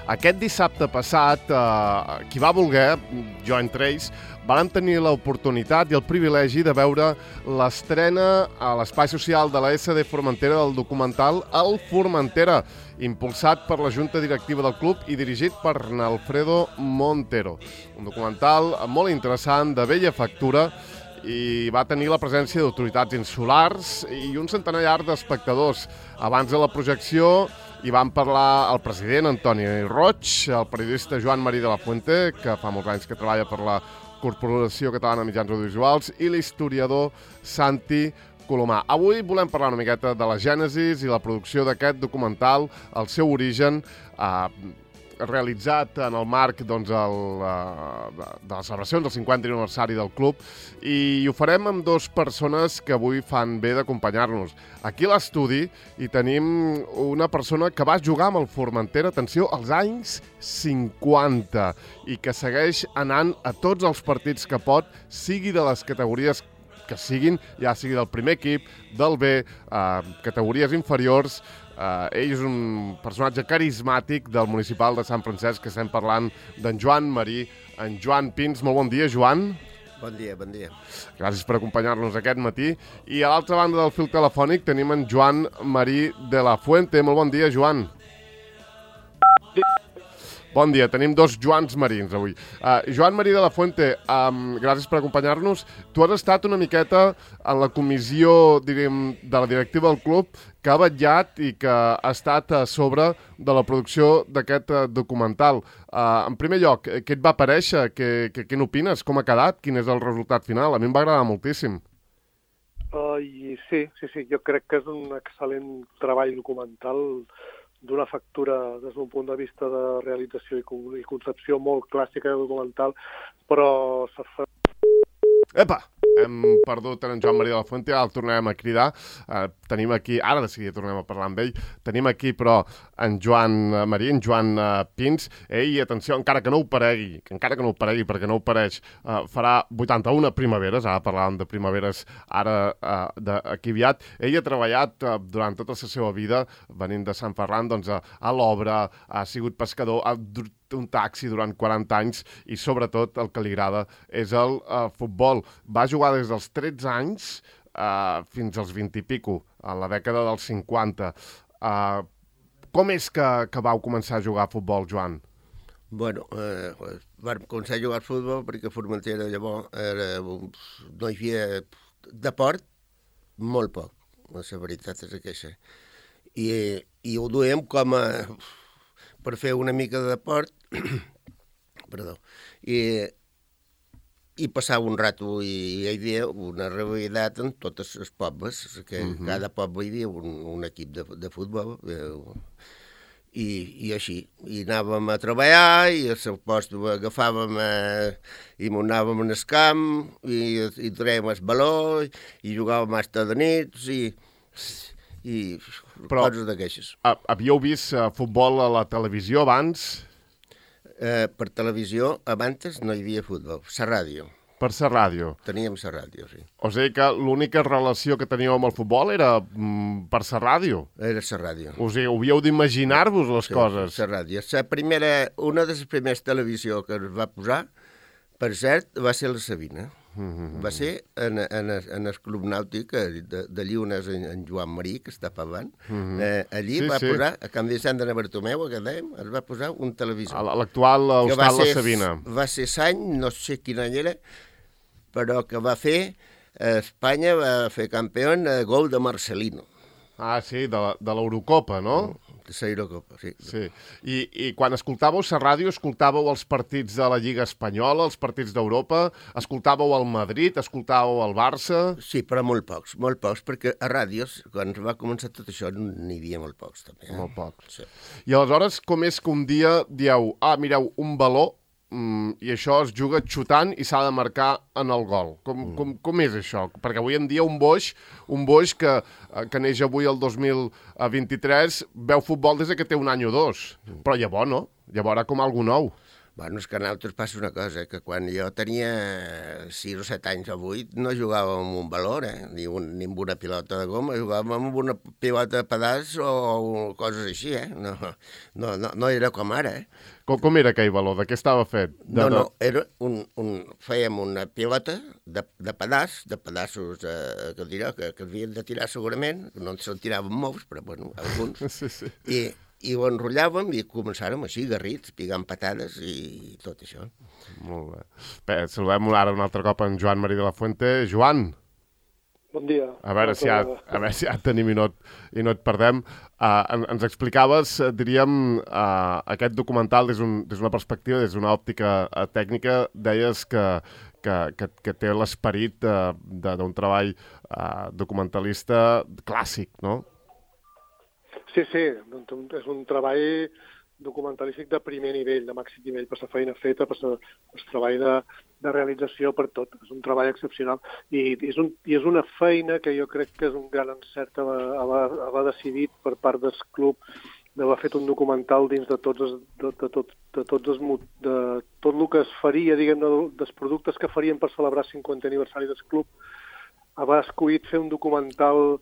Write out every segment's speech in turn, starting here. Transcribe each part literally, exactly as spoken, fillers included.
Aquest dissabte passat, eh, qui va voler, jo entre ells, vam tenir l'oportunitat i el privilegi de veure l'estrena a l'espai social de la essa de Formentera del documental El Formentera, impulsat per la Junta Directiva del club i dirigit per Alfredo Montero. Un documental molt interessant, de bella factura, i va tenir la presència d'autoritats insulars i un centenar d'espectadors. Abans de la projecció hi van parlar el president Antoni Roig, el periodista Joan Marí de la Fuente, que fa molts anys que treballa per la Corporació Catalana de Mitjans Audiovisuals, i l'historiador Santi Colomà. Avui volem parlar una miqueta de la gènesis i la producció d'aquest documental, el seu origen, eh, realitzat en el marc doncs, el, de, de les celebracions del cinquantè aniversari del club, i ho farem amb dues persones que avui fan bé d'acompanyar-nos. Aquí a l'estudi hi tenim una persona que va jugar amb el Formentera, atenció, als anys cinquanta, i que segueix anant a tots els partits que pot, sigui de les categories que siguin, ja sigui del primer equip, del B, eh, categories inferiors. Uh, ell és un personatge carismàtic del municipal de Sant Francesc, que estem parlant d'en Joan Marí, en Joan Pins. Molt bon dia, Joan. Bon dia, bon dia. Gràcies per acompanyar-nos aquest matí. I a l'altra banda del fil telefònic tenim en Joan Marí de la Fuente. Molt bon dia, Joan. Bon dia, tenim dos Joans Marins avui. Uh, Joan Marí de la Fuente, um, gràcies per acompanyar-nos. Tu has estat una miqueta en la comissió, diríem, de la directiva del club, que ha vetllat i que ha estat a sobre de la producció d'aquest uh, documental. Uh, en primer lloc, què et va aparèixer? Què, què, què n'opines? Com ha quedat? Quin és el resultat final? A mi em va agradar moltíssim. Uh, i sí, sí, sí, jo crec que és un excel·lent treball documental d'una factura des d'un punt de vista de realització i concepció molt clàssica de documental, però s'ha fet... Epa! Hem perdut en Joan Marí de la Fuente, ara el tornarem a cridar. Uh, tenim aquí, ara de seguida tornem a parlar amb ell, tenim aquí però en Joan Marí, en Joan uh, Pins. Ell, atenció, encara que no ho paregui, encara que no ho paregui perquè no ho pareix, uh, farà vuitanta-una primaveres, ara parlàvem de primaveres ara uh, d'aquí aviat. Ell ha treballat uh, durant tota la seva vida, venint de Sant Ferran, doncs, a, a l'obra, ha sigut pescador, ha un taxi durant quaranta anys i sobretot el que li agrada és el uh, futbol. Va jugar des dels tretze anys uh, fins als vint i pico, a la dècada dels cinquanta. Uh, com és que, que vau començar a jugar a futbol, Joan? Bueno, eh, vam començar a jugar a futbol perquè a Formentera llavors era, no hi havia deport, molt poc, la veritat és aquesta. I, i ho duem com a... per fer una mica de deport, perdó, i, i passar un rato, i hi havia una rivalitat en totes les pobles, que uh -huh. cada poble hi havia un, un equip de, de futbol, eh, i, i així. I anàvem a treballar, i al seu post agafàvem eh, i anàvem en el camp, i, i traiem el baló, i jugàvem fins de nits, i... i però coses d'aquestes. Havíeu vist uh, futbol a la televisió abans? Eh, per televisió, abans no hi havia futbol, la ràdio. Per la ràdio? Teníem la ràdio, sí. O sigui que l'única relació que teníeu amb el futbol era mm, per la ràdio? Era la ràdio. O sigui, havíeu d'imaginar-vos les sí, coses? La ràdio. La primera, una de les primeres televisió que es va posar, per cert, va ser la Sabina. Mm-hmm. Va ser en, en, en el Club Nàutic de, de Llunes, en, en Joan Marí, que està pavant. Mm-hmm. eh, allí sí, va sí. posar, a Camp de Sant de Bartomeu, que dèiem, es va posar un televisor. L'actual hostal La Sabina. Va ser l'any, no sé quin any era, però que va fer, eh, Espanya va fer campió a gol de Marcelino. Ah, sí, de l'Eurocopa, no? De l'Eurocopa, sí. sí. I, I quan escoltàveu la ràdio, escoltàveu els partits de la Lliga Espanyola, els partits d'Europa, escoltàveu el Madrid, escoltàveu el Barça... Sí, però molt pocs, molt pocs, perquè a ràdios, quan va començar tot això, n'hi havia molt pocs, també. Eh? Molt pocs. Sí. I aleshores, com és que un dia dieu, ah, mireu, un baló, mm, i això es juga xutant i s'ha de marcar en el gol. Com, mm. com, com és això? Perquè avui en dia un boix, un boix que, que neix avui el dos mil vint-i-tres, veu futbol des que té un any o dos. Mm. Però llavors no, llavors era com algú nou. Bueno, és que a nosaltres passa una cosa, que quan jo tenia sis o set anys o vuit no jugàvem amb un valor, eh? ni, un, ni amb una pilota de goma, jugàvem amb una pilota de pedaç o coses així, eh? No, no, no, no era com ara, eh? Com, com era aquell valor? De què estava fet? De, no, no, era un, un, fèiem una pilota de, de pedaç, de pedaços eh, que, dirà, que, que havien de tirar segurament, no se'n tiraven molts, però bueno, alguns, sí, sí. i i ho enrotllàvem i començàrem així, garrits, picant patades i tot això. Molt bé. Bé, saludem ara un altre cop en Joan Marí de la Fuente. Joan! Bon dia. A veure, si ja, a veure si ja et tenim i no et, i no et perdem. Uh, ens explicaves, diríem, uh, aquest documental des d'una un, perspectiva, des d'una òptica uh, tècnica, deies que, que, que, que té l'esperit uh, d'un treball uh, documentalista clàssic, no? Sí, sí, és un treball documentalístic de primer nivell, de màxim nivell, per la feina feta, per el treball de, de realització, per tot. És un treball excepcional. I és, un, I és una feina que jo crec que és un gran encert haver, haver decidit per part del club d'haver fet un documental dins de tots els, de, de, tot, de, tots els, de tot el que es faria, diguem, dels productes que farien per celebrar el cinquantè aniversari del club, haver escollit fer un documental.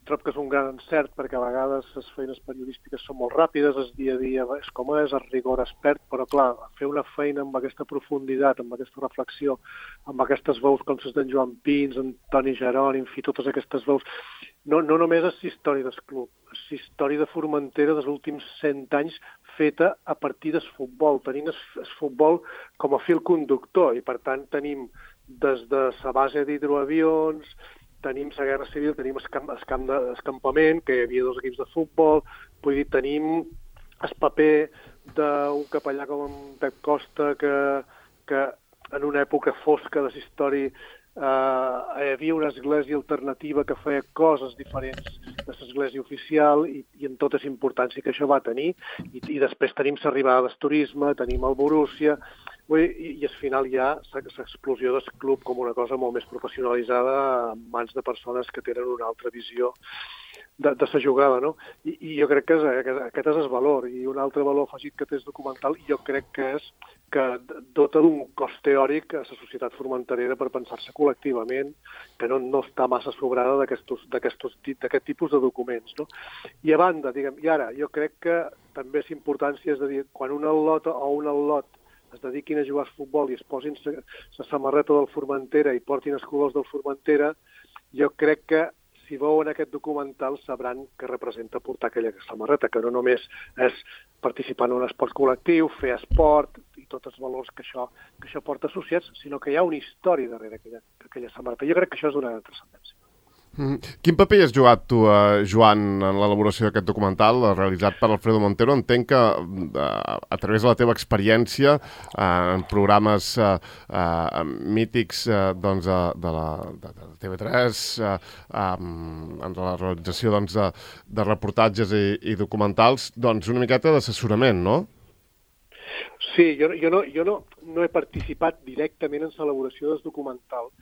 Trob que és un gran encert, perquè a vegades les feines periodístiques són molt ràpides, el dia a dia és com és, el rigor es perd, però clar, fer una feina amb aquesta profunditat, amb aquesta reflexió, amb aquestes veus com les d'en Joan Pins, en Toni Jeroni, en fi, totes aquestes veus, no, no només és història del club, és història de Formentera dels últims cent anys feta a partir del futbol, tenint el futbol com a fil conductor, i per tant tenim des de la base d'hidroavions, tenim la Guerra Civil, tenim el camp, el camp d'escampament, que hi havia dos equips de futbol, vull dir, tenim el paper d'un capellà com en Pep Costa, que, que en una època fosca de la història eh, hi havia una església alternativa que feia coses diferents de l'església oficial i, i en tota la importància que això va tenir. I, i després tenim l'arribada del turisme, tenim el Borussia, I, i al final hi ha l'explosió del club com una cosa molt més professionalitzada en mans de persones que tenen una altra visió de, de la jugada, no? I, i jo crec que és, aquest és el valor. I un altre valor afegit que té el documental jo crec que és que dota d'un cos teòric a la societat formenterera per pensar-se col·lectivament, que no, no està massa sobrada d'aquest tipus de documents, no? I a banda, diguem, i ara, jo crec que també és importància, és a dir, quan un al·lot o un al·lot es dediquin a jugar a futbol i es posin la samarreta del Formentera i portin els colors del Formentera, jo crec que si veuen aquest documental sabran que representa portar aquella samarreta, que no només és participar en un esport col·lectiu, fer esport i tots els valors que això, que això porta associats, sinó que hi ha una història darrere aquella, aquella samarreta. Jo crec que això és d'una transcendència. Mm. Quin paper has jugat tu, eh, Joan, en l'elaboració d'aquest documental realitzat per Alfredo Montero? Entenc que eh, a través de la teva experiència eh, en programes eh, eh, mítics eh, doncs, de, de, la, de, de T V tres, eh, eh, en la realització doncs, de, de reportatges i, i documentals, doncs una miqueta d'assessorament, no? Sí, jo, jo, no, jo no, no he participat directament en l'elaboració del documental.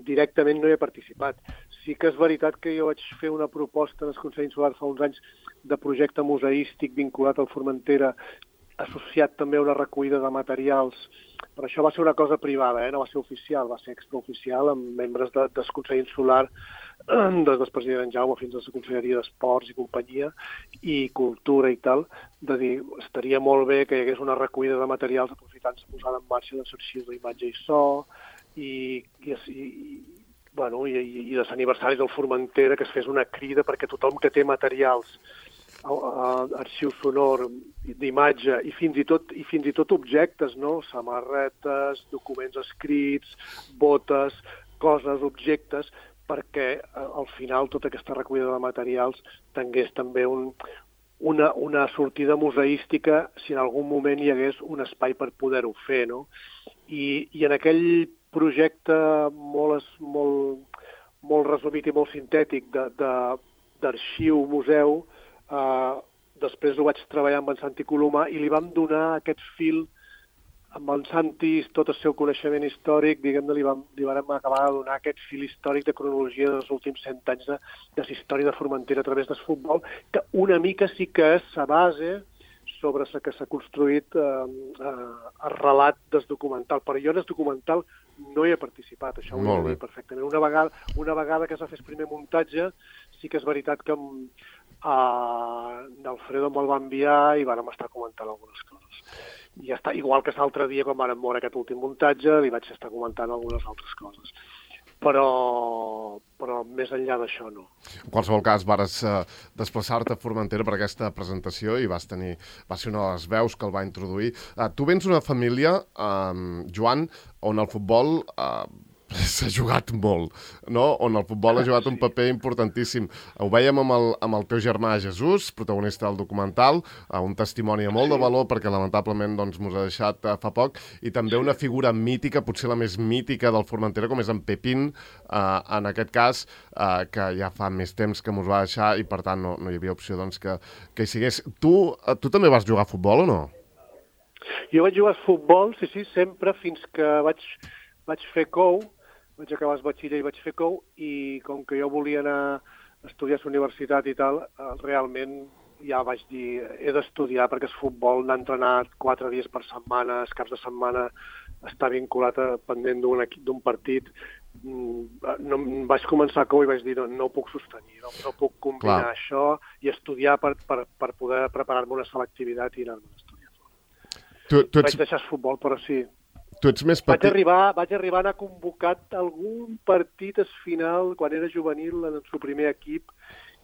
Directament no hi he participat. Sí que és veritat que jo vaig fer una proposta en el Consell Insular fa uns anys de projecte museístic vinculat al Formentera, associat també a una recollida de materials. Però això va ser una cosa privada, eh? No va ser oficial, va ser extraoficial amb membres de, del Consell Insular, des del president Jaume fins a la Conselleria d'Esports i companyia, i Cultura i tal, de dir, estaria molt bé que hi hagués una recollida de materials aprofitant la posada en marxa dels arxius d'imatge i so, i, i, i, bueno, i, i, i de l'aniversari del Formentera, que es fes una crida perquè tothom que té materials, a, a, arxiu sonor, d'imatge i fins i tot i fins i tot objectes, no? Samarretes, documents escrits, botes, coses, objectes, perquè al final tota aquesta recollida de materials tingués també un, una, una sortida museística si en algun moment hi hagués un espai per poder-ho fer, no? I, i en aquell projecte molt, molt, molt resumit i molt sintètic d'arxiu-museu, eh, després ho vaig treballar amb en Santi Colomà i li vam donar aquest fil, amb en Santi, tot el seu coneixement històric, diguem-ne, li vam, li vam acabar de donar aquest fil històric de cronologia dels últims cent anys de, de la història de Formentera a través del futbol, que una mica sí que és la base sobre la que s'ha construït eh, eh, el relat del documental. Però jo en el documental no hi he participat, això ho he de dir perfectament. Una vegada, una vegada que s'ha fet el primer muntatge, sí que és veritat que eh, l'Alfredo me'l va enviar i vàrem estar comentant algunes coses. I ja està, igual que l'altre dia, quan vàrem veure aquest últim muntatge, li vaig estar comentant algunes altres coses. Però, però més enllà d'això no. En qualsevol cas, vares uh, desplaçar-te a Formentera per aquesta presentació i vas tenir, va ser una de les veus que el va introduir. Uh, tu vens d'una família, um, Joan, on el futbol uh, s'ha jugat molt, no? On el futbol ha jugat un paper importantíssim. Ho vèiem amb el, amb el teu germà Jesús, protagonista del documental, uh, un testimoni de molt de valor perquè lamentablement doncs, mos ha deixat uh, fa poc, i també una figura mítica, potser la més mítica del Formentera, com és en Pepín, uh, en aquest cas, uh, que ja fa més temps que mos va deixar i per tant no, no hi havia opció doncs, que, que hi sigués. Tu, uh, tu també vas jugar a futbol o no? Jo vaig jugar a futbol, sí, sí, sempre, fins que vaig, vaig fer cou, vaig acabar el batxiller i vaig fer cou, i com que jo volia anar a estudiar a la universitat i tal, realment ja vaig dir, he d'estudiar perquè el futbol n'ha entrenat quatre dies per setmana, els caps de setmana està vinculat a, pendent d'un d'un partit. No, vaig començar a cou i vaig dir, no, no ho puc sostenir, no, no puc combinar Clar. això i estudiar per, per, per poder preparar-me una selectivitat i anar-me a estudiar. Tu, tu ets... Vaig deixar el futbol, però sí. Tu ets més petit. Vaig arribar, vaig arribar a anar convocat algun partit al final, quan era juvenil, en el seu primer equip,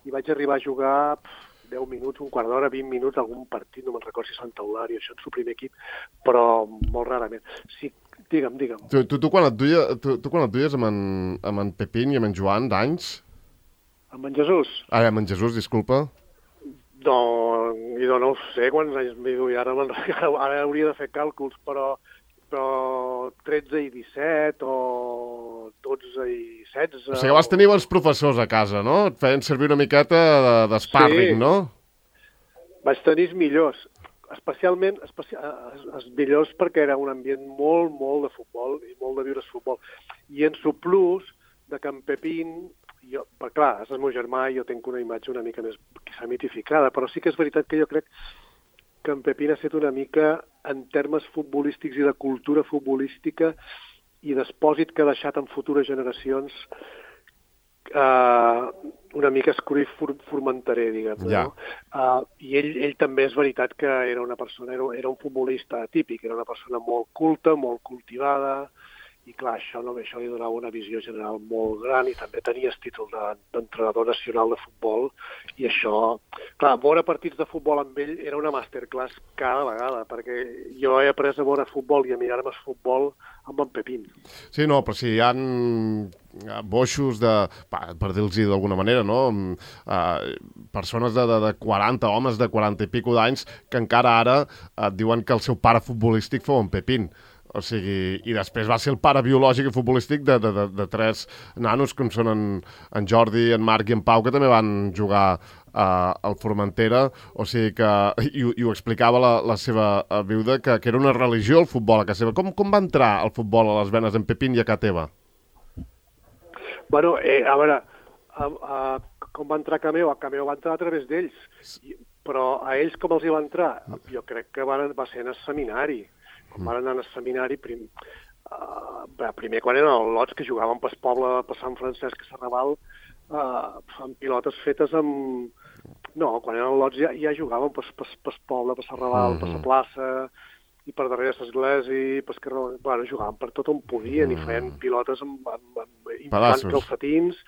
i vaig arribar a jugar pff, deu minuts, un quart d'hora, vint minuts, algun partit, no me'n recordo si Sant Eulària, això en el seu primer equip, però molt rarament. Sí, digue'm, digue'm. Tu, tu, tu, quan, et duia, tu, tu quan et duies amb en, amb en Pepín i amb en Joan d'anys? Amb en Jesús? Ah, amb en Jesús, disculpa. No, jo no sé quants anys m'hi duia, ara, ara hauria de fer càlculs, però... però tretze i disset o dotze i setze... O sigui que vas tenir bons professors a casa, no? Et feien servir una miqueta d'espàrring, sí. no? Vaig tenir els millors, especialment especi... els millors perquè era un ambient molt, molt de futbol i molt de viure el futbol. I en su plus de que en Pepín, jo, però clar, és el meu germà i jo tinc una imatge una mica més quizà mitificada, però sí que és veritat que jo crec que en Pepín ha estat una mica, en termes futbolístics i de cultura futbolística i d'espòsit que ha deixat en futures generacions, eh, una mica escurir formenterer, diguem. Ja. No? Uh, I ell, ell també és veritat que era una persona, era, era un futbolista atípic, era una persona molt culta, molt cultivada, i clar, això, no, això li donava una visió general molt gran i també tenia el títol d'entrenador nacional de futbol i això, clar, veure partits de futbol amb ell era una masterclass cada vegada, perquè jo he après a veure futbol i a mirar-me el futbol amb en Pepín. Sí, no, però si hi ha boixos de, per dir-los d'alguna manera, no? Uh, persones de, de, de quaranta, homes de quaranta i pico d'anys que encara ara uh, diuen que el seu pare futbolístic fou en Pepín. O sigui, i després va ser el pare biològic i futbolístic de, de, de, de tres nanos, com són en, en Jordi, en Marc i en Pau, que també van jugar uh, al Formentera. O sigui que, i, i ho explicava la, la seva viuda, que, que era una religió el futbol a casa seva. Com, com va entrar el futbol a les venes en Pepín i a casa teva? Bueno, eh, a veure, a, a, com va entrar a casa meva? A casa meva va entrar a través d'ells. Però a ells com els hi va entrar? Jo crec que van, va ser en el seminari. Quan van anar al seminari, prim, uh, primer quan eren els lots que jugaven pel poble, per Sant Francesc a Serrabal, uh, amb pilotes fetes amb... No, quan eren lots ja, ja jugaven pel poble, per Serrabal, per la plaça, i per darrere l'església, per carrer... Bueno, jugaven per tot on podien i feien pilotes amb, amb, amb infants calcetins.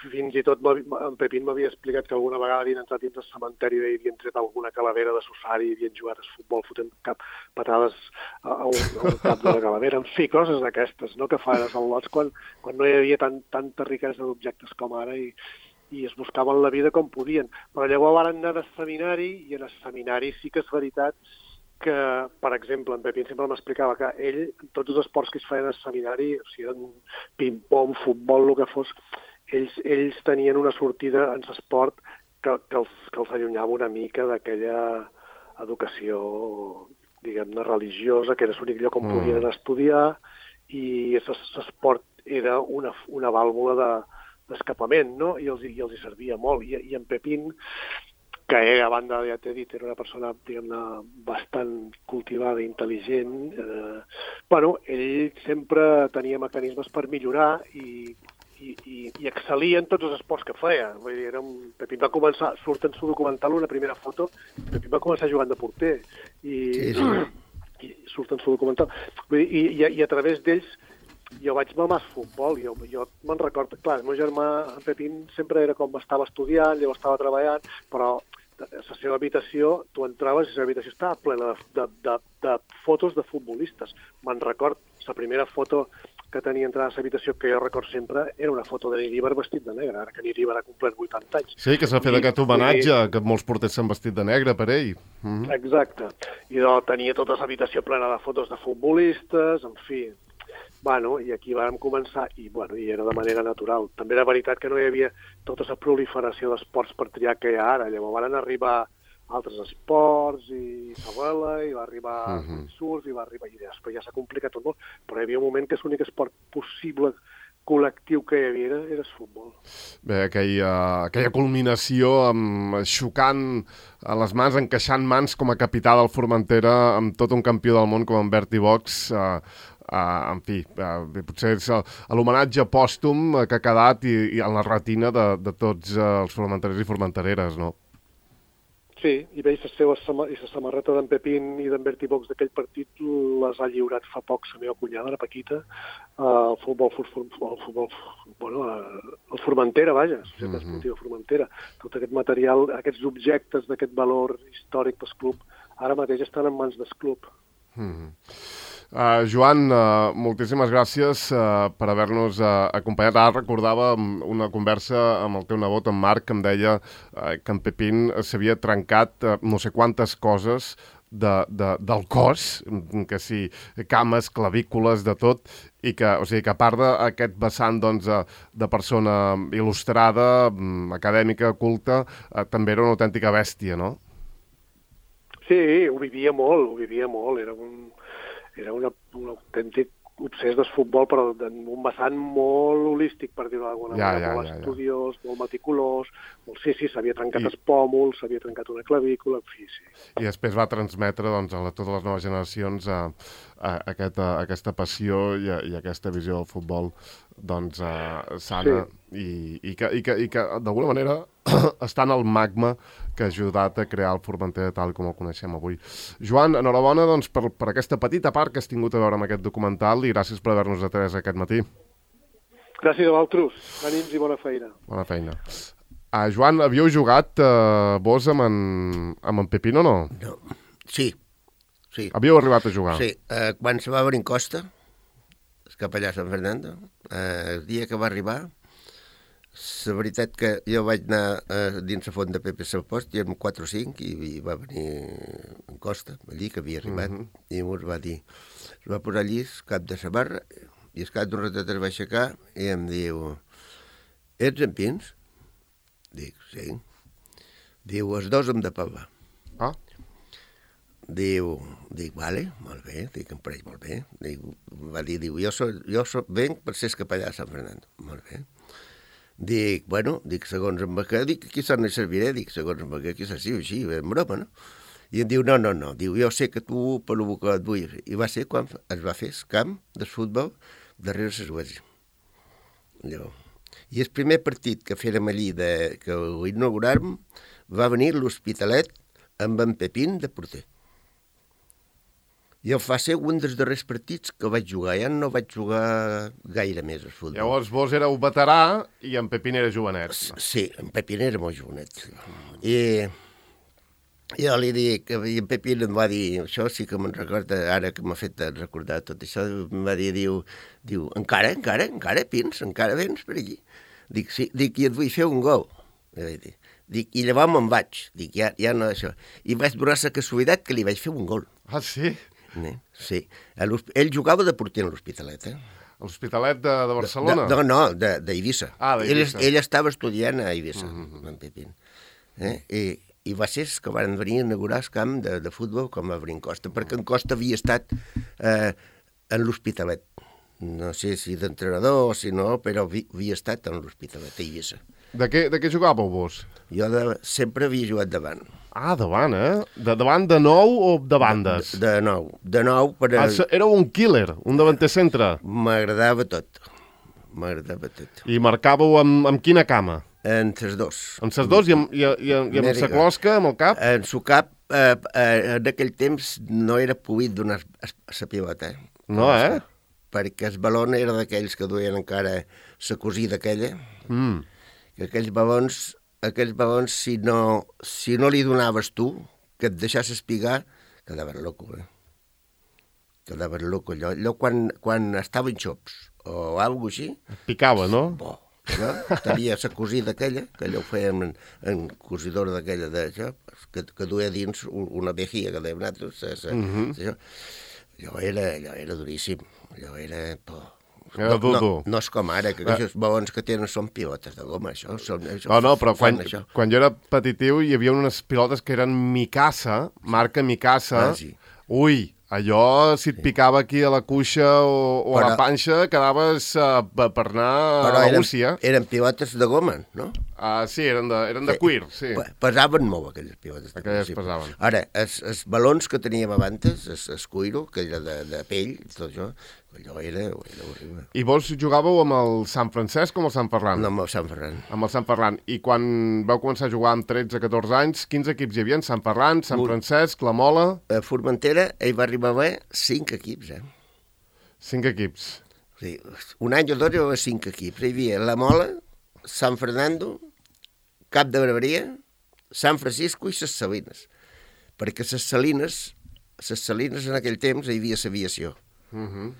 Fins i tot en Pepín m'havia explicat que alguna vegada havien entrat dins del cementeri i havien tret alguna calavera de Susari i havien jugat a futbol fotent cap patades a un, a un cap de la calavera. En fi, coses d'aquestes, no?, que fan els al·lots quan, quan no hi havia tan, tanta riquesa d'objectes com ara i, i es buscaven la vida com podien. Però llavors van anar al seminari i en el seminari sí que és veritat que, per exemple, en Pepín sempre m'explicava que ell, en tots els esports que es feien al seminari, o sigui, ping-pong, futbol, el que fos, ells, ells tenien una sortida en l'esport que, que, els, que els allunyava una mica d'aquella educació, diguem-ne, religiosa, que era l'únic lloc on mm. podien estudiar, i l'esport era una, una vàlvula de, d'escapament, no? I els, i els hi servia molt. I, i en Pepín, que ell, a banda, ja t'he dit, era una persona, diguem-ne, bastant cultivada i intel·ligent. Eh, bueno, ell sempre tenia mecanismes per millorar i, i, i, i excel·lia en tots els esports que feia. Vull dir, era un... Pepín va començar, surt en su documental una primera foto, Pepín va començar jugant de porter. I, sí, sí. i surt en su documental. Vull dir, i, i, i a través d'ells jo vaig mamar futbol, jo, jo me'n recordo, clar, el meu germà, en Pepín, sempre era com estava estudiant, llavors estava treballant, però a la seva habitació, tu entraves i la seva habitació estava plena de, de, de, de fotos de futbolistes. Me'n record, la primera foto que tenia entrada a la habitació, que jo record sempre, era una foto de Niríbar vestit de negre, ara que Niríbar ha complert vuitanta anys. Sí, que s'ha fet aquest homenatge, i... que molts porters s'han vestit de negre per ell. Mm-hmm. Exacte. I doncs, tenia tota l'habitació plena de fotos de futbolistes, en fi... Bueno, i aquí vam començar, i, bueno, i era de manera natural. També era veritat que no hi havia tota la proliferació d'esports per triar que hi ha ara. Llavors van arribar altres esports, i Sabela, i va arribar uh-huh. surf, i va arribar idees, però ja s'ha complicat tot molt. Però hi havia un moment que l'únic esport possible col·lectiu que hi havia era, era el futbol. Bé, aquella, aquella culminació amb, xocant a les mans, encaixant mans com a capità del Formentera amb tot un campió del món com en Berti Box, eh, Uh, en fi, uh, potser és l'homenatge pòstum que ha quedat i, i en la retina de, de tots uh, els formenterers i formentereres, no? Sí, i bé, i la seva i la samarreta d'en Pepín i d'en Berti Box d'aquell partit les ha lliurat fa poc la meva cunyada, la Paquita, al uh, futbol, futbol, futbol, bueno, uh, el Formentera, vaja, la Societat mm-hmm. Esportiva Formentera. Tot aquest material, aquests objectes d'aquest valor històric del club, ara mateix estan en mans del club. Mm-hmm. Uh, Joan, uh, moltíssimes gràcies uh, per haver-nos uh, acompanyat. Ara recordava una conversa amb el teu nebot, en Marc, que em deia uh, que en Pepín s'havia trencat uh, no sé quantes coses de, de, del cos, que sí, cames, clavícules, de tot, i que, o sigui, que a part d'aquest vessant doncs, de persona il·lustrada, acadèmica, culta, uh, també era una autèntica bèstia, no? Sí, ho vivia molt, ho vivia molt, era un... Era una, un autèntic obsés del futbol, però en un vessant molt holístic, per dir-ho d'alguna ja, manera, ja, molt ja, estudiós, ja. molt meticulós, molt, sí, sí, s'havia trencat I... els pòmuls, s'havia trencat una clavícula, en fi, sí. I després va transmetre doncs, a la, totes les noves generacions a, a, a, aquesta, a aquesta passió i, a, i a aquesta visió del futbol doncs, uh, sana sí. i, i que, i que, i que d'alguna manera està en el magma que ha ajudat a crear el Formentera tal com el coneixem avui. Joan, enhorabona doncs, per, per aquesta petita part que has tingut a veure amb aquest documental i gràcies per haver-nos atès aquest matí. Gràcies a vosaltres. Ànims i bona feina. Bona feina. Uh, Joan, havíeu jugat uh, vos amb en, amb en Pepín o no? No. Sí. sí. Havíeu arribat a jugar? Sí. Uh, quan se va a Brincosta, el capellà Sant Fernando, uh, el dia que va arribar, la veritat que jo vaig anar uh, dins la font de Pepe Salpost, i érem quatre o cinc, i, i va venir en Costa, allí, que havia arribat, uh-huh. i ens va dir, es va posar allí, cap de la barra, i el cap d'un ratet es va aixecar, i em diu, ets en Pins? Dic, sí. Diu, els dos hem de parlar. Ah. Diu, dic, vale, molt bé, dic, em pareix molt bé. Dic, va dir, diu, jo, so, jo so, venc per ser capellà de Sant Fernando. Molt bé. Dic, bueno, dic, segons en Baquer, dic, quizás no hi serviré, dic, segons en Baquer, quizás sí, així, en broma, no? I em diu, no, no, no, diu, jo sé que tu per lo que et vull. I va ser quan es va fer el camp de futbol darrere l'església. I el primer partit que fèrem allí, de, que ho inauguràrem, va venir l'Hospitalet amb en Pepín de porter. I el va ser un dels darrers partits que vaig jugar. Ja no vaig jugar gaire més al futbol. Llavors vos éreu veterà i en Pepín era jovenet. Sí, en Pepín era molt jovenet. I jo li dic, i en Pepín em va dir, això sí que me'n recorda, ara que m'ha fet recordar tot això, em va dir, diu, diu encara, encara, encara, Pins, encara vens per aquí? Dic, sí, dic, i et vull fer un gol. Dic, i llavors me'n vaig. Dic, ja, ja no això. I vaig donar la casualitat que li vaig fer un gol. Ah, sí? Sí. Ell jugava de porter a l'Hospitalet, eh? L'Hospitalet de, de Barcelona? De, de, no, d'Eivissa. Ah, d'Eivissa. Ell, ell estava estudiant a Eivissa, mm-hmm. en Pepín. Eh? I, I va ser que van venir a inaugurar el camp de, de futbol com va venir en Costa, perquè en Costa havia estat eh, en l'Hospitalet. No sé si d'entrenador o si no, però vi, havia estat en l'Hospitalet a Eivissa. De què, de què jugàveu vos? Jo de, sempre havia jugat davant. Ah, davant, eh? De davant de nou o de bandes? De, de nou. De nou, però... Ah, era un killer, un davanter centre. M'agradava tot. M'agradava tot. I marcàveu amb, amb quina cama? En ses dos. En ses dos i amb, i, i, i amb sa closca, amb el cap? En su cap, eh, eh, en aquell temps no era poït donar la pilota. Eh? No, eh? Perquè el balon era d'aquells que duien encara la cosida aquella. Mm. Que aquells balons, aquells balons si, no, si no li donaves tu, que et deixasses pigar, quedaves loco, eh? Quedaves loco. Allò, allò quan, quan estaven xops o alguna així... Picava, no? Bo, no? Tenia la cosida aquella, que allò ho feien en, en cosidora d'aquella d'això, que, que duia dins una vejia que dèiem nosaltres. Uh -huh. Això. Allò, era, allò era duríssim. Allò era... Oh. Era dur, no, dur. no, no és com ara, que aquests balons que tenen són pilotes de goma, això. Són, això no, no, però quan, això. quan jo era petitiu hi havia unes pilotes que eren Mikasa, marca Mikasa. Ah, sí. Ui, allò, si et picava aquí a la cuixa o, o però, a la panxa, quedaves uh, per anar però a eren, Úcia. eren pilotes de goma, no? Uh, sí, eren de, eren de sí. cuir, sí. Pesaven molt, aquelles pilotes. Aquelles sí. pesaven. Ara, els, els balons que teníem abans, el, el cuiro, que era de, de pell, tot això, allò era, era horrible. I vos jugàveu amb el Sant Francesc o amb el Sant Ferran? No, amb el Sant Ferran. Amb el Sant Ferran. I quan vau començar a jugar amb tretze catorze anys, quins equips hi havia? Sant Ferran, Sant Un... Francesc, La Mola... A Formentera hi va arribar a haver cinc equips, eh? Cinc equips. Sí, un any o dos hi va haver cinc equips. Hi havia La Mola, Sant Fernando, Cap de Barberia, Sant Francisco i ses Salines. Perquè ses Salines, ses Salines en aquell temps hi havia l'aviació. Uh -huh.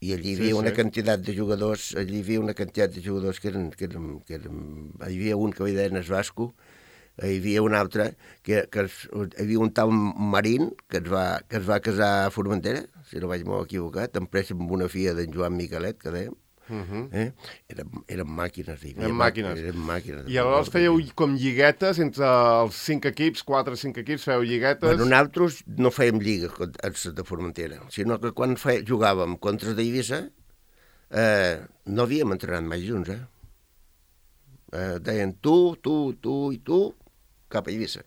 I allí hi havia sí, una sí. quantitat de jugadors, allí hi havia una quantitat de jugadors que eren, que eren, que eren hi havia un que hi deien es Vasco, hi havia un altre, que, que es, hi havia un tal Marín que es, va, que es va casar a Formentera, si no vaig molt equivocat, empresa amb una filla d'en Joan Miquelet, que dèiem. Uh -huh. eh? eren, eren màquines. Eren màquines. Eren màquines. I aleshores fèieu com lliguetes entre els cinc equips, quatre o cinc equips, fèieu lliguetes? Bueno, nosaltres no fèiem lligues de Formentera, sinó que quan fe, jugàvem contra d'Eivissa eh, no havíem entrenat mai junts, eh? eh? Deien tu, tu, tu i tu, cap a Eivissa.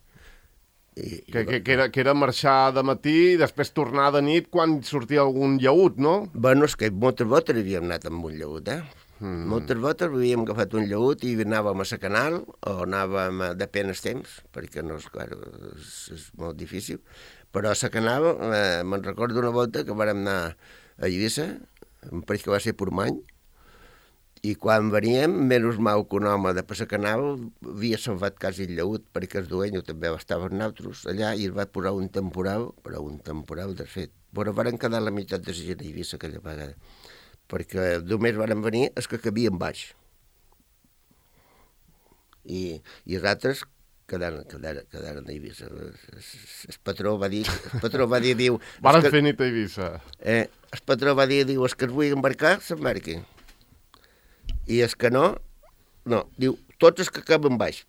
I, que, que, que, era, que era marxar de matí i després tornar de nit quan sortia algun llaüt, no? Bueno, és que moltes voltes havíem anat amb un llaüt, eh? Mm. Moltes voltes havíem agafat un llaüt i anàvem a la Canal o anàvem a, depèn el temps, perquè no és, clar, és, és molt difícil, però a la Canal eh, me'n recordo una volta que vàrem anar a Eivissa, em pareix que va ser Portmany, i quan veníem, menys mal que un home de per la Canal havia salvat quasi el llaüt, perquè el dueño també estava amb nosaltres allà i es va posar un temporal, però un temporal de fet. Però varen quedar la meitat de la gent a Eivissa aquella vegada, perquè només varen venir els que cabien baix. I, i els altres quedaren, quedaren, quedaren a Eivissa. El, el patró va dir, el patró va dir, diu... Varen fer nit a Eivissa. Eh, el patró va dir, diu, els que es vull embarcar, s'embarquin. I els que no, no. Diu, tots els que acaben baix.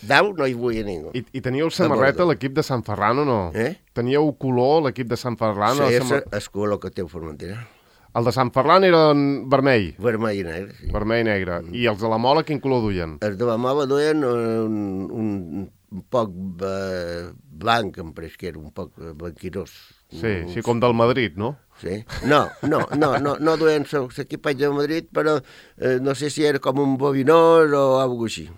Dalt no hi vull ningú. I, i teníeu samarreta l'equip de Sant Ferran o no? Eh? Teníeu color l'equip de Sant Ferran? Sí, és samar... el color que té el Formentera. El de Sant Ferran era vermell? Vermell i negre, sí. Vermell i negre. Mm. I els de la Mola quin color duien? Els de la Mola duien un, un, un poc eh, blanc, em pareix que era un poc blanquinós. Sí, un... sí, com del Madrid, no? Sí. No, no, no, no, no duien l'equipatge del Madrid, però eh, no sé si era com un bobinós o alguna cosa així.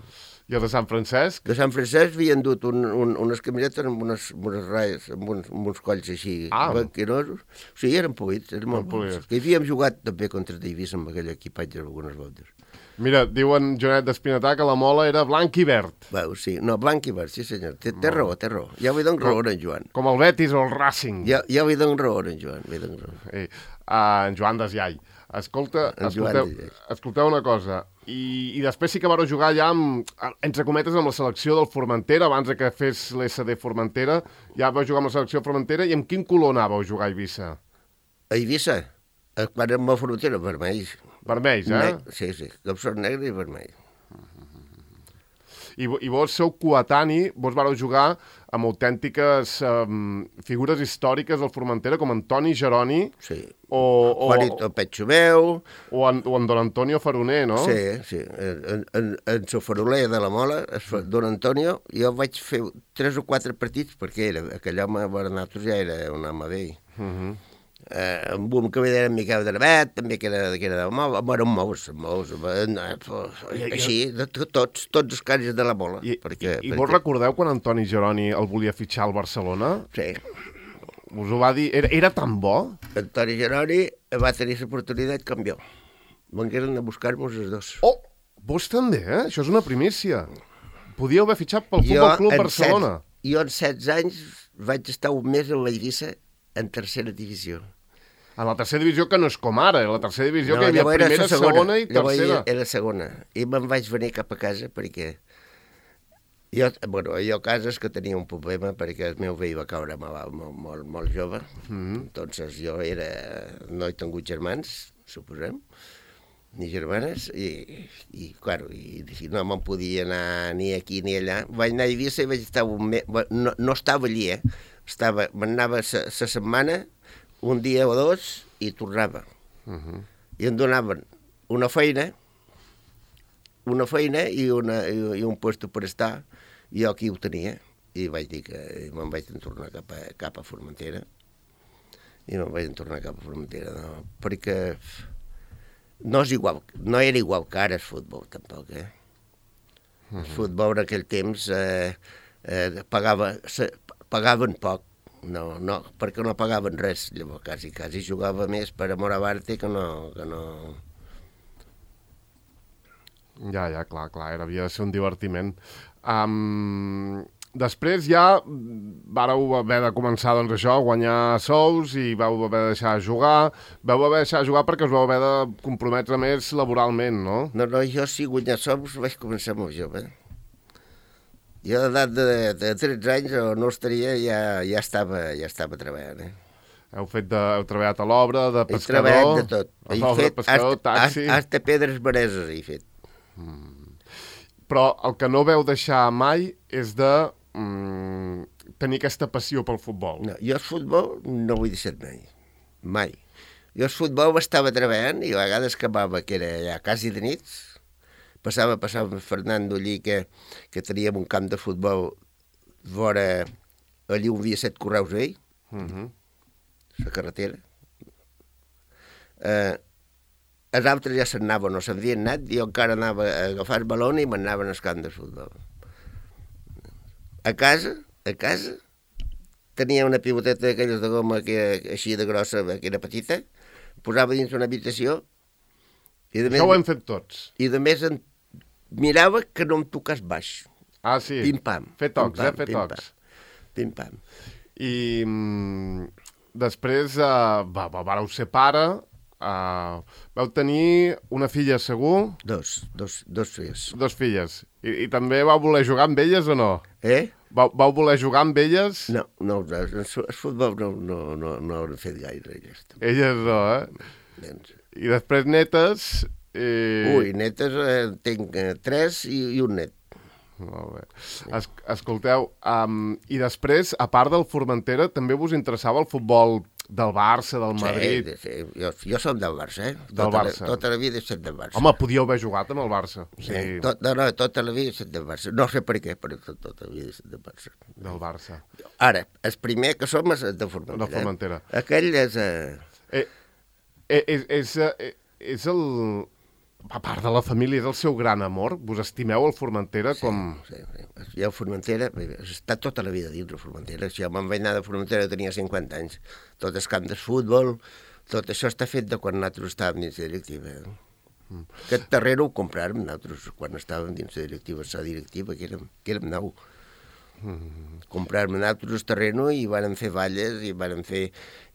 I el de Sant Francesc? De Sant Francesc havien dut un, un, unes camisetes amb unes, unes ratlles, amb uns, amb uns colls així ah. blanquinosos. O sigui, eren polits, eren molt polits. Que havíem jugat també contra d'Eivissa amb aquell equipatge algunes voltes. Mira, diuen Joanet d'Espinatà que la Mola era blanc i verd. Veu, sí, no, blanc i verd, sí senyor. Té, té raó, té raó. Ja vull donar raó en Joan. Com el Betis o el Racing. Ja, ja vull donar raó en Joan, vull donar raó. Eh, uh, en Joan Desllai. Escolta, escolteu, escolteu una cosa, I, i després sí que vareu jugar ja amb, entre cometes, amb la selecció del Formentera, abans que fes l'S D Formentera, ja vau jugar amb la selecció Formentera, i amb quin color anàveu a jugar a Eivissa? A Eivissa? Quan érem a Formentera, vermells. Vermells, eh? Ne sí, sí, capçot negre i vermell. I, I vos sou coetani, vos vareu jugar amb autèntiques um, figures històriques del Formentera, com Antoni Geroni, Sí. o, o, Juanito Petxomeu. o, en, o en Don Antonio Faroner, no? Sí, sí. En, en, en Sofaroler de la Mola, Don Antonio, jo vaig fer tres o quatre partits, perquè era, aquell home, per nosaltres ja era un home vell. Uh -huh. Eh, amb un que era en Miquel de Navet, també que era, que era de Mola, bueno, molts, molts, així, de, tots, tots els casos de la Mola. I, perquè, i, i perquè... vos recordeu quan Antoni Geroni el volia fitxar al Barcelona? Sí. Us ho va dir? Era, era tan bo? Antoni Geroni va tenir l'oportunitat com jo. Vengueren a buscar-nos els dos. Oh, vos també, eh? Això és una primícia. Podíeu haver fitxat pel Futbol Club Barcelona. Set, jo en setze anys vaig estar un mes a la Eivissa en tercera divisió. A la tercera divisió, que no és com ara, la tercera divisió No, que hi havia llavors era primera, segona, segona i llavors tercera. Era segona. I me'n vaig venir cap a casa perquè... Jo, bueno, jo a casa és que tenia un problema perquè el meu vell va caure malalt molt, molt, molt jove. Mm-hmm. Entonces jo era... No he tingut germans, suposem, ni germanes, i, i claro, i, i no me'n podia anar ni aquí ni allà. Vaig anar a Eivissa i vaig estar un mes... No, no estava allí, eh? Estava, m'anava la setmana, un dia o dos, i tornava. Uh-huh. I em donaven una feina, una feina i, una, i, i un lloc per estar, i jo aquí ho tenia, i vaig dir que me'n vaig tornar cap a, cap a Formentera, i me'n vaig tornar cap a Formentera, no? Perquè no, és igual, no era igual que ara el futbol, tampoc, eh? Uh-huh. El futbol en aquell temps eh, eh, pagava, se, pagaven poc, no, no, perquè no pagaven res, llavors quasi, quasi jugava més per amor a l'arte que no, que no... Ja, ja, clar, clar, era, havia de ser un divertiment. Um, després ja vàreu haver de començar, doncs això, a guanyar sous i vau haver de deixar de jugar. Vau haver de deixar de jugar perquè us vau haver de comprometre més laboralment, no? No, no, jo si guanyar sous vaig començar molt jove. Jo a l'edat de, de tretze anys o no estaria, ja, ja, estava, ja estava treballant, eh? Heu, fet de, heu treballat a l'obra, de pescador... He treballat de tot. A He l'obra, fet pescador, hasta, taxi... hasta pedres vareses he fet. Mm. Però el que no veu deixar mai és de mm, tenir aquesta passió pel futbol. No, jo el futbol no ho he deixat mai. Mai. Jo el futbol estava treballant i a vegades acabava, que era ja quasi de nits, passava, passava amb Fernando allí, que, que teníem un camp de futbol vora, allí on havia set correus vell, uh-huh. la carretera. Eh, els altres ja se'n anaven, no se'n havien anat, i jo encara anava a agafar el balón i m'anaven al camp de futbol. A casa, a casa, tenia una pivoteta d'aquelles de goma que, així de grossa, que era petita, posava dins una habitació, i de més, això ho hem fet tots. I de més en mirava que no em tocàs baix. Ah, sí? Pim-pam. Fer tocs, pim-pam, eh? Fer tocs. Pim-pam. I mm, després uh, va, va, vareu ser pare, uh, vau tenir una filla segur? Dos, dos, dos filles. Dos filles. I, I també vau voler jugar amb elles o no? Eh? Vau, vau voler jugar amb elles? No, no, el futbol no, no, no, no ho he fet gaire, elles. Elles no, eh? Nens. I després netes... Eh... Ui, netes eh, tinc eh, tres i, i un net. Molt bé. Es, escolteu, um, i després, a part del Formentera, també vos interessava el futbol del Barça, del Madrid? Sí, sí. Jo, jo som del Barça, eh? Del tota Barça. La, tota la vida he estat del Barça. Home, podíeu haver jugat amb el Barça. O sigui... Sí, tot, no, no, tota la vida he estat del Barça. No sé per què, però tot, tota la vida he estat del Barça. Del Barça. Ara, el primer que som és el de Formentera. De Formentera. Eh? Aquell és... Eh... Eh, eh, és, és, eh, és el... A part de la família, és el seu gran amor? Vos estimeu el Formentera sí, com... Sí, sí. Jo a Formentera, he estat tota la vida dins de Formentera. Jo me'n vaig anar de Formentera, tenia cinquanta anys. Tot el camp de futbol, tot això està fet de quan nosaltres estàvem dins de directiva. Mm. Aquest terreno ho compràrem nosaltres quan estàvem dins de directiva, la directiva, que érem, que érem nou. Mm. Compràrem nosaltres el terreno i vàrem fer valles i vàrem fer...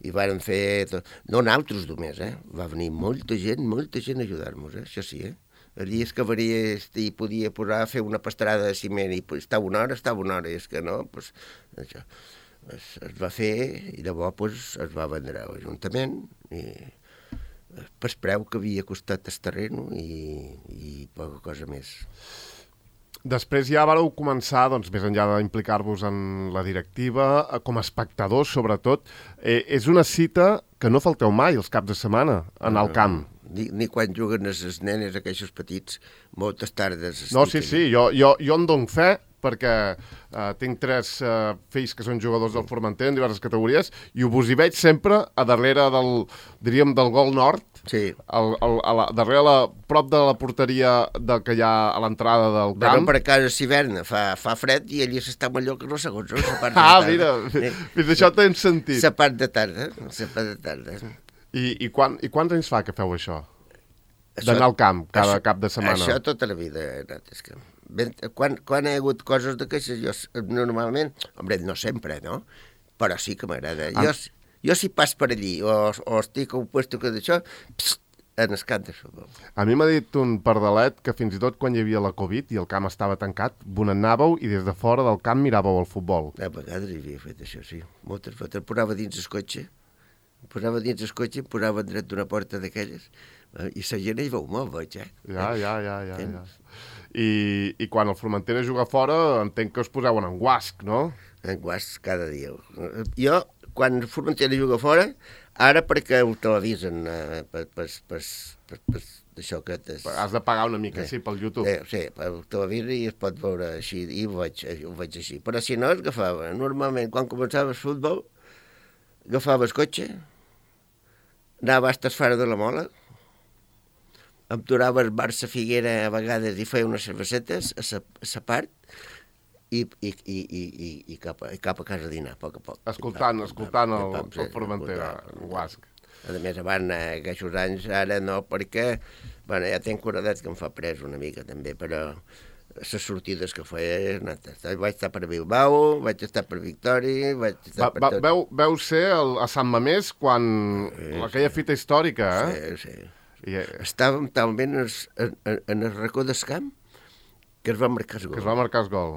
I vàrem fer tot. No nosaltres només, eh? Va venir molta gent, molta gent a ajudar-nos, eh? Això sí, eh? Allí es que varia i podia posar, fer una pastrada de ciment i pues, estava una hora, estava una hora, i és que no, pues, això, es, es va fer i llavors pues, es va vendre a l'Ajuntament i per preu que havia costat el terreno i, i poca cosa més. Després ja vareu començar, doncs, més enllà d'implicar-vos en la directiva, com a espectadors, sobretot. Eh, és una cita que no falteu mai els caps de setmana, en el camp. Ni, ni quan juguen les nenes, aquells petits, moltes tardes. No, sí, sí, jo, jo, jo en dono fe, perquè uh, tinc tres uh, fills que són jugadors del Formentera en diverses categories, i vos hi veig sempre a darrere del, diríem, del gol nord, sí. al, al, a la, darrere, la, prop de la porteria del que hi ha a l'entrada del camp. Bueno, per a casa s'hiverna, fa, fa fred i allí s'està millor que no segons, no? La part de Ah, tarda. mira, eh? fins això tens sentit. La part de tarda, la part de tarda. I, i, quan, I quants anys fa que feu això? D'anar al camp cada això, cap de setmana? Això tota la vida he anat. És que, ben, quan, quan hi ha hagut coses d'aquestes, jo normalment, home, no sempre, no? Però sí que m'agrada. Ah. Jo, jo si pas per allí, o, o estic a un puesto que d'això, en el camp de futbol. A mi m'ha dit un pardalet que fins i tot quan hi havia la Covid i el camp estava tancat, vos n'anàveu i des de fora del camp miràveu el futbol. A vegades hi havia fet això, sí. Moltes vegades. Posava dins el cotxe, posava dins el cotxe, posava dret d'una porta d'aquelles, i la gent hi veu molt, veig, eh? Ja, ja, ja, ja. ja. I, I quan el Formentera juga fora, entenc que us poseu en guasc, no? En guasc cada dia. Jo, quan el Formentera juga fora, ara perquè ho televisen, eh, per, per, per, per, per això que... És... Has de pagar una mica, sí, pel YouTube. Sí, sí, per televisió i es pot veure així, i ho veig, ho veig així. Però si no, es agafava. Normalment, quan començava el futbol, agafava el cotxe, anava fins fora de la Mola, em torava el Barça Figuera a vegades i feia unes cervesetes a sa, a sa part i, i, i, i, i, cap, a, cap a casa a dinar, a poc a poc. Escoltant, escoltant el, el Formentera, en guasc. A més, abans, aquests anys, ara no, perquè, bueno, ja tenc curadet que em fa pres una mica també, però les sortides que feia, vaig estar per Bilbao, vaig estar per Victòria, vaig estar va, per tot. Va, veu, veu ser el, a Sant Mamés quan sí, aquella sí. fita històrica, eh? Sí, sí. I, eh... Estàvem talment en, en, en el racó del camp que es va marcar el gol. Que es va marcar el gol.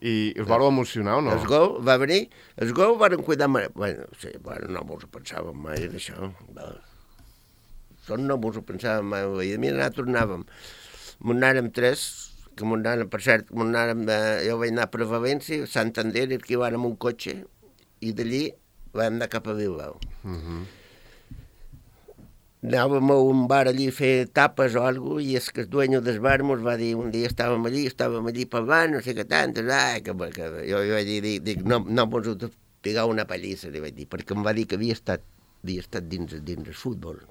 I us vau emocionar o no? El gol va venir, el gol varen cuidar... Bueno, sí, bueno, no mos ho pensàvem mai d'això. Això no mos ho pensàvem mai. I a mi nosaltres anàvem, m'ho anàrem tres, que m'ho anàrem, per cert, m'ho anàrem, eh, jo vaig anar per València, Santander, i aquí vàrem un cotxe, i d'allí vam anar cap a Bilbao. Uh -huh. Anàvem a un bar allí a fer tapes o alguna cosa, i és que el dueño del bar mos va dir, un dia estàvem allí, estàvem allí parlant, no sé què tant, ai, que, que jo, jo vaig dir, dic, dic no, no mos heu de pegar una pallissa, li vaig dir, perquè em va dir que havia estat, havia estat dins, dins el futbol.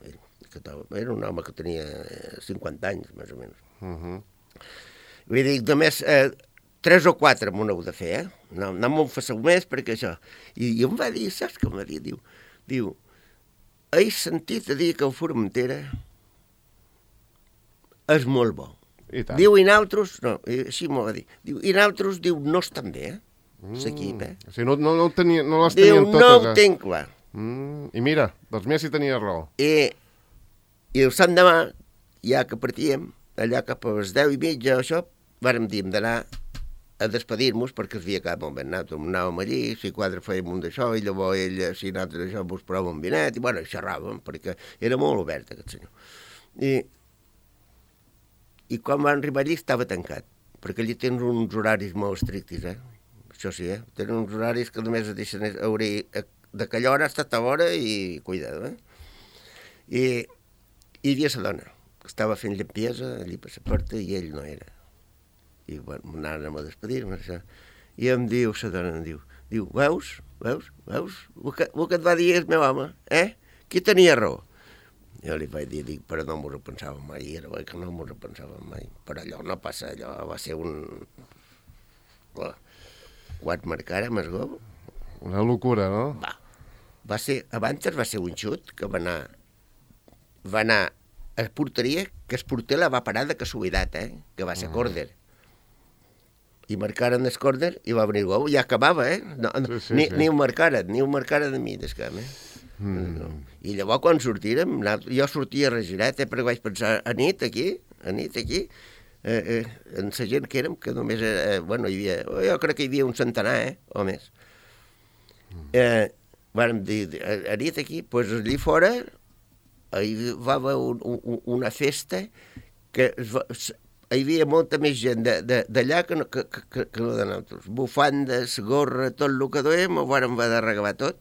Que era un home que tenia cinquanta anys, més o menys. Uh -huh. Vull dir, només eh, tres o quatre m'ho heu de fer, eh? No, no m'ho fasseu més perquè això. I, i em va dir, saps què em va dir? Diu, diu, he sentit a dir que el Formentera és molt bo. Diu, i nosaltres, no, així m'ho va dir, diu, i nosaltres, diu, no estan bé, eh? L'equip, eh? O sigui, no, no, no, tenia, no les tenien diu, totes, no ho eh? tinc clar. Mm, I mira, doncs mira si tenia raó. I, i el sant demà, ja que partíem, allà cap a les deu i mitja, això, vàrem dir, hem d'anar a despedir-nos perquè es havia acabat molt ben. Nosaltres anàvem allí, si quatre fèiem un d'això, i llavors ell, si nosaltres això, vos provava un vinet, i bueno, xerràvem, perquè era molt obert aquest senyor. I, i quan van arribar allí estava tancat, perquè allí tens uns horaris molt estrictes, eh? Això sí, eh? Tenen uns horaris que només et deixen obrir d'aquella hora fins a tal hora i cuidado, eh? I, i hi havia la dona, que estava fent limpiesa allí per la porta i ell no era. I bueno, anàvem a despedir-me, això. I em diu, la dona em diu, diu, veus, veus, veus, el que, el que et va dir el meu home, eh? Qui tenia raó? Jo li vaig dir, dic, però no m'ho repensàvem mai, era bé que no m'ho repensàvem mai, però allò no passa, allò va ser un... Quan marcàrem el gol... Una locura, no? Va, va ser, abans va ser un xut que va anar, va anar a porteria, que el porter la va parar de casualitat, eh? Que va ser córner. I marcaren el córner i va venir el gol, i ja acabava, eh? No, no, sí, sí, ni, sí. ni ho marcaren, ni ho marcaren de mi, d'escam, eh? Mm. No. I llavors quan sortírem, jo sortia regirat, eh, perquè vaig pensar, a nit aquí, a nit aquí, eh, eh, en la gent que érem, que només, eh, bueno, hi havia, jo crec que hi havia un centenar, eh, o més. Eh, vam dir, a, a nit aquí, doncs pues, allí fora, hi va haver un, un, una festa que es va, hi havia molta més gent d'allà que, no, que, que, que no de nosaltres. Bufandes, gorra, tot el que duem, ho vàrem haver d'arreglar tot.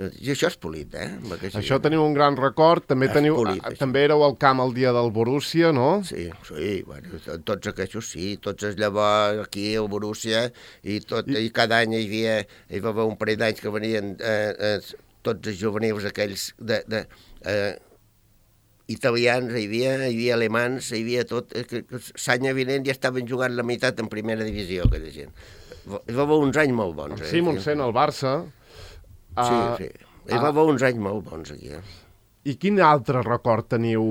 I això és polit, eh? Això teniu un gran record. També, teniu, polit, també éreu al camp el dia del Borussia, no? Sí, sí, bueno, tots aquests sí, tots els llavors aquí al Borussia, i, tot, I... i cada any hi havia, hi va haver un parell d'anys que venien eh, eh, tots els juvenils aquells de, de eh, italians, hi havia, hi havia alemans, hi havia tot, que, que l'any vinent ja estaven jugant la meitat en primera divisió, aquella gent. Hi va haver uns anys molt bons. Eh? Simonsen, el Barça. Sí, uh, sí. Hi va haver uh, uns anys molt bons aquí. Eh? I quin altre record teniu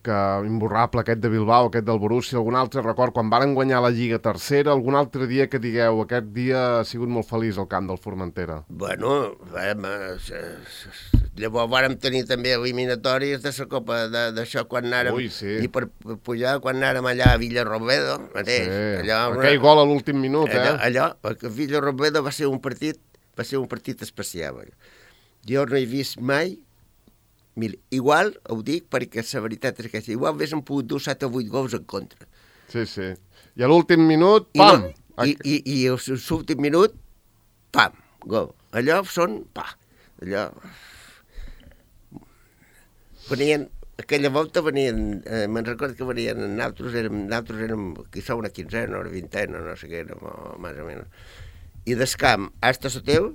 que imborrable, aquest de Bilbao, aquest del Borussia, algun altre record, quan varen guanyar la Lliga tercera, algun altre dia que digueu, aquest dia ha sigut molt feliç al camp del Formentera? Bueno, vam, llavors vàrem tenir també eliminatòries de la Copa d'això quan anàrem, Ui, sí. i per pujar quan anàrem allà a Villarrobledo, mateix. Sí. Allò, aquell una... gol a l'últim minut, allò, eh? Allò, perquè Villarrobledo va ser un partit, va ser un partit especial. Jo no he vist mai. Mira, igual, ho dic perquè la veritat és que igual haguéssim pogut dur set o vuit gols en contra. Sí, sí. I a l'últim minut, pam! I, no, i, i, i l'últim minut, pam, gol. Allò són, pa, allò... Venien, aquella volta venien, eh, me'n recordo que venien, nosaltres érem, nosaltres érem, aquí som una quinzena, una vintena, no sé què érem, o, més o menys. I des camp, hasta Soteu,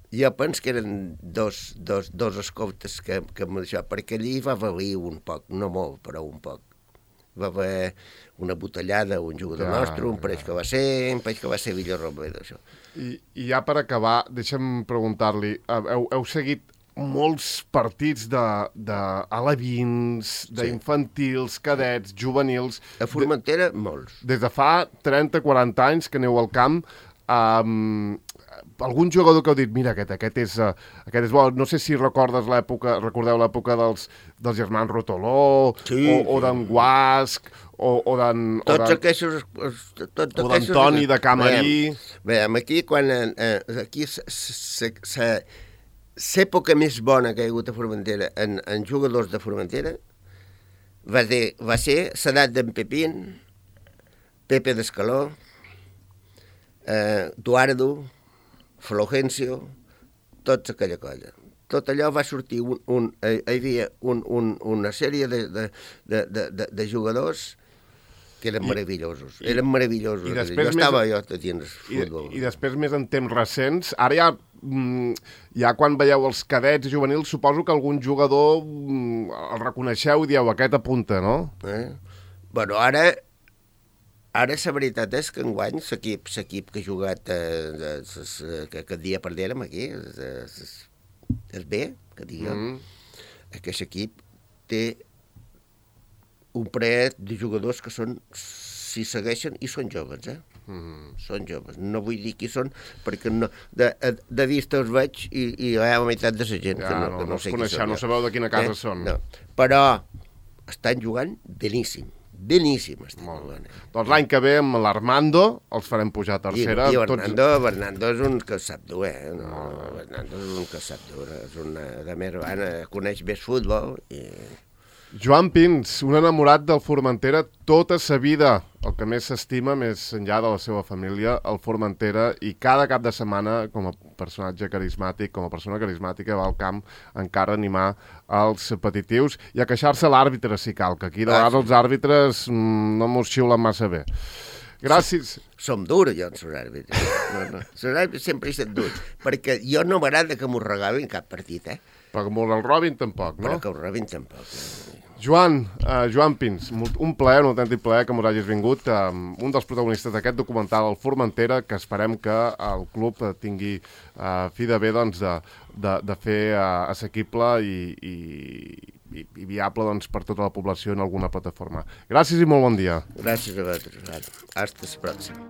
jo penso que eren dos, dos, dos escoltes que, que amb això, perquè allí va valer un poc, no molt, però un poc. Va haver una botellada, un jugador ja, nostre, un parell ja. que va ser, un parell que va ser Villarrobledo, això. I, I ja per acabar, deixa'm preguntar-li, heu, heu seguit molts partits de, de alevins, d'infantils, cadets, juvenils... A Formentera, de, molts. Des de fa trenta o quaranta anys que aneu al camp, um, algun jugador que heu dit, mira, aquest, aquest, és, uh, aquest és bo, no sé si recordes l'època, recordeu l'època dels, dels germans Rotoló, sí, o, o d'en Guasc, o, o d'en... Tots aquests... Tot, o d'Antoni de Camarí... Veiem, aquí, quan... Eh, aquí l'època més bona que hi ha hagut a Formentera en, en jugadors de Formentera va ser, va ser l'edat d'en Pepín, Pepe d'Escaló, eh, Duardo, Flogencio, tota aquella colla. Tot allò va sortir, un, un, hi havia un, un, una sèrie de, de, de, de, de jugadors que eren I, meravellosos, eren meravellosos. I jo estava més, jo dins futbol. I, I després, més en temps recents, ara ja, ja quan veieu els cadets juvenils, suposo que algun jugador el reconeixeu i dieu, aquest apunta, no? Eh? Bueno, ara... Ara la veritat és que enguany l'equip l'equip que ha jugat eh, que aquest dia perdérem aquí és bé, que digue mm. aquest equip té un parell de jugadors que són, si segueixen, i són joves, eh? Mm. Són joves. No vull dir qui són, perquè no, de, de vista els veig i, i hi ha la meitat de la gent ja, que no, no, que no, no sé qui coneixeu, són. No sabeu de quina casa eh? són. No. Però estan jugant beníssim. Beníssim estem jugant. Eh? Doncs l'any que ve amb l'Armando els farem pujar a tercera. I, i Bernardo, tots... Bernardo és un que sap dur, eh? No, no. Bernardo és un que sap dur, és una de més bona, coneix bé futbol i... Joan Pins, un enamorat del Formentera tota sa vida. El que més s'estima, més enllà de la seva família, el Formentera, i cada cap de setmana, com a personatge carismàtic, com a persona carismàtica, va al camp encara a animar els petitius i a queixar-se l'àrbitre, si cal, que aquí de vegades els àrbitres no mos xiulen massa bé. Gràcies. Som durs, jo, els àrbitres. No, no. Els àrbitres sempre hi estan durs, perquè jo no m'agrada que m'ho regalin cap partit, eh? Però que el robin tampoc, no? Però que el robin tampoc. Joan, uh, Joan Pins, un plaer, un autèntic plaer que m'ho hagis vingut, uh, un dels protagonistes d'aquest documental, el Formentera, que esperem que el club tingui uh, fi de bé doncs, de, de, de fer uh, assequible i, i, i, i viable doncs, per tota la població en alguna plataforma. Gràcies i molt bon dia. Gràcies a vosaltres. Hasta la pròxima.